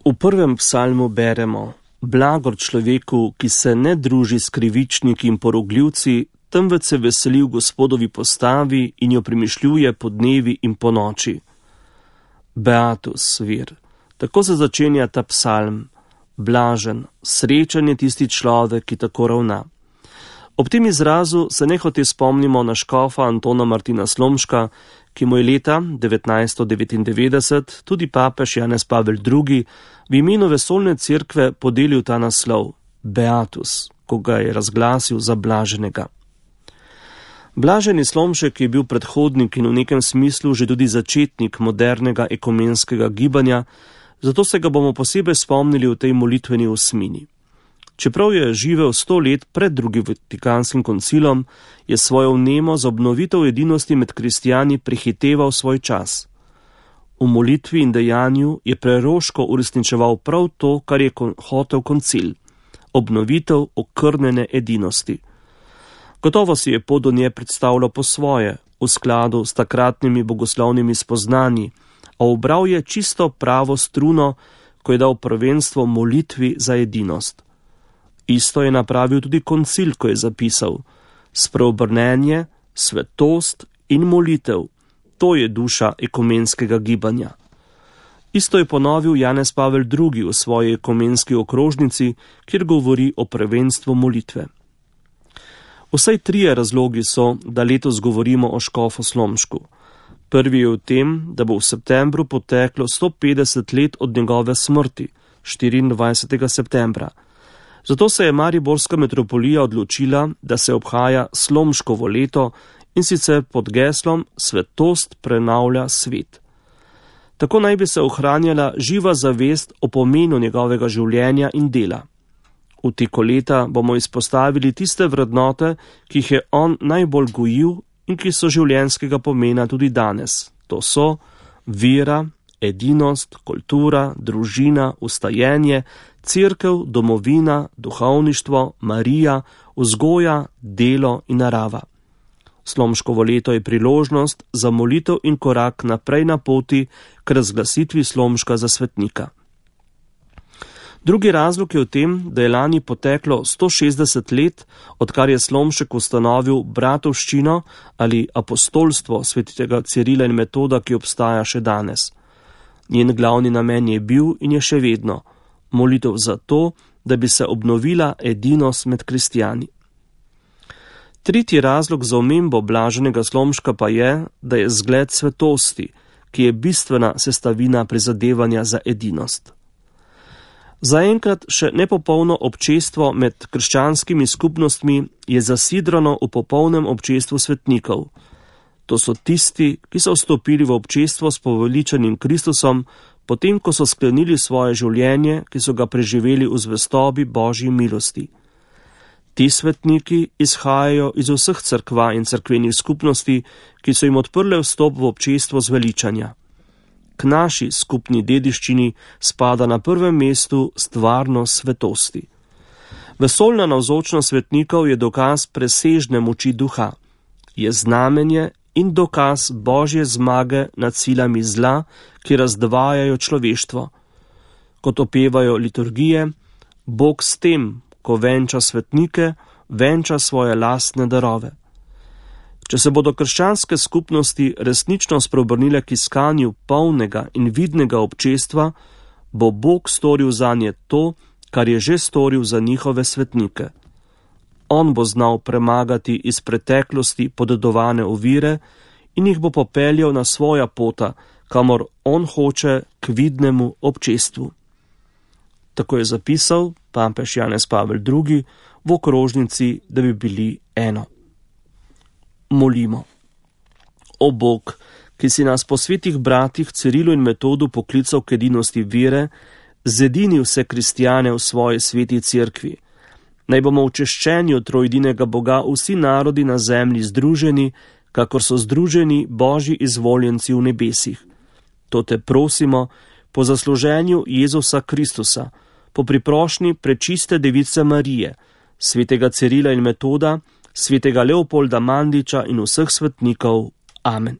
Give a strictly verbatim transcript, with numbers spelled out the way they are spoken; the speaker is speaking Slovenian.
V prvem psalmu beremo: Blagor človeku, ki se ne druži s krivičniki in porogljivci, temveč se veseli v Gospodovi postavi in jo premišljuje po dnevi in po noči. Beatus vir. Tako se začenja ta psalm. Blažen, srečen je tisti človek, ki tako ravna. Ob tem izrazu se nehote spomnimo na škofa Antona Martina Slomška, ki mu je leta devetnajststo devetindevetdeset tudi papež Janez Pavel drugi v imenu vesoljne cerkve podelil ta naslov Beatus, ko ga je razglasil za blaženega. Blaženi Slomšek je bil predhodnik in v nekem smislu že tudi začetnik modernega ekumenskega gibanja, zato se ga bomo posebej spomnili v tej molitveni osmini. Čeprav je živel sto let pred drugim Vatikanskim koncilom, je svojo vnemo za obnovitev edinosti med kristijani prehiteval svoj čas. V molitvi in dejanju je preroško uresničeval prav to, kar je hotel koncil, obnovitev okrnjene edinosti. Gotovo si je pot do nje predstavljal po svoje, v skladu s takratnimi bogoslovnimi spoznanji, a ubral je čisto pravo struno, ko je dal prvenstvo molitvi za edinost. Isto je napravil tudi koncil, ko je zapisal: spreobrnenje, svetost in molitev, to je duša ekumenskega gibanja. Isto je ponovil Janez Pavel drugi v svoji ekumenski okrožnici, kjer govori o prvenstvu molitve. Vsaj trije razlogi so, da letos govorimo o škofu Slomšku. Prvi je v tem, da bo v septembru poteklo sto petdeset let od njegove smrti, štiriindvajsetega septembra. Zato se je mariborska metropolija odločila, da se obhaja Slomškovo leto, in sicer pod geslom Svetost prenavlja svet. Tako naj bi se ohranjala živa zavest o pomenu njegovega življenja in dela. V teku leta bomo izpostavili tiste vrednote, ki jih je on najbolj gojil in ki so življenjskega pomena tudi danes. To so vera, edinost, kultura, družina, ustajenje, cerkev, domovina, duhovništvo, Marija, vzgoja, delo in narava. Slomškovo leto je priložnost za molitev in korak naprej na poti k razglasitvi Slomška za svetnika. Drugi razlog je v tem, da je lani poteklo sto šestdeset let, odkar je Slomšek ustanovil bratovščino ali apostolstvo svetega Cirila in Metoda, ki obstaja še danes. Njen glavni namen je bil in je še vedno molitev za to, da bi se obnovila edinost med kristijani. Tretji razlog za omembo blaženega Slomška pa je, da je zgled svetosti, ki je bistvena sestavina prizadevanja za edinost. Zaenkrat še nepopolno občestvo med krščanskimi skupnostmi je zasidrano v popolnem občestvu svetnikov. To so tisti, ki so vstopili v občestvo s poveličanim Kristusom, potem ko so sklenili svoje življenje, ki so ga preživeli v zvestobi Božji milosti. Ti svetniki izhajajo iz vseh cerkva in cerkvenih skupnosti, ki so jim odprle vstop v občestvo zveličanja. K naši skupni dediščini spada na prvem mestu stvarnost svetosti. Vesoljna navzočnost svetnikov je dokaz presežne moči duha. Je znamenje in dokaz Božje zmage nad silami zla, ki razdvajajo človeštvo. Kot opevajo liturgije, Bog s tem, ko venča svetnike, venča svoje lastne darove. Če se bodo krščanske skupnosti resnično spreobrnile k iskanju polnega in vidnega občestva, bo Bog storil zanje to, kar je že storil za njihove svetnike. On bo znal premagati iz preteklosti podedovane ovire in jih bo popeljal na svoja pota, kamor on hoče k vidnemu občestvu. Tako je zapisal papež Janez Pavel drugi v okrožnici, da bi bili eno. Molimo. O Bog, ki si nas po svetih bratih Cirilu in Metodu poklical k edinosti vere, zedini vse kristijane v svoji sveti cerkvi. Naj bomo v češčenju trojedinega Boga vsi narodi na zemlji združeni, kakor so združeni Božji izvoljenci v nebesih. To te prosimo po zasluženju Jezusa Kristusa, po priprošnji prečiste device Marije, svetega Cirila in Metoda, svetega Leopolda Mandiča in vseh svetnikov. Amen.